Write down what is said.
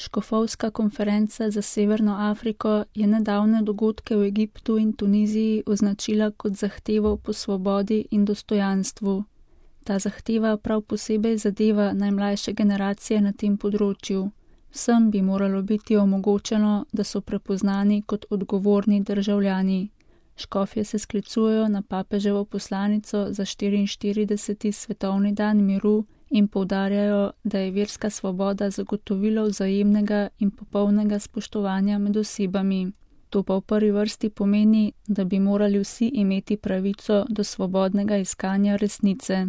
Škofovska konferenca za Severno Afriko je nedavne dogodke v Egiptu in Tuniziji označila kot zahtevo po svobodi in dostojanstvu. Ta zahteva prav posebej zadeva najmlajše generacije na tem področju. Vsem bi moralo biti omogočeno, da so prepoznani kot odgovorni državljani. Škofje se sklicujejo na papeževo poslanico za 44. svetovni dan miru in poudarjajo, da je verska svoboda zagotovilo vzajemnega in popolnega spoštovanja med osebami. To pa v prvi vrsti pomeni, da bi morali vsi imeti pravico do svobodnega iskanja resnice.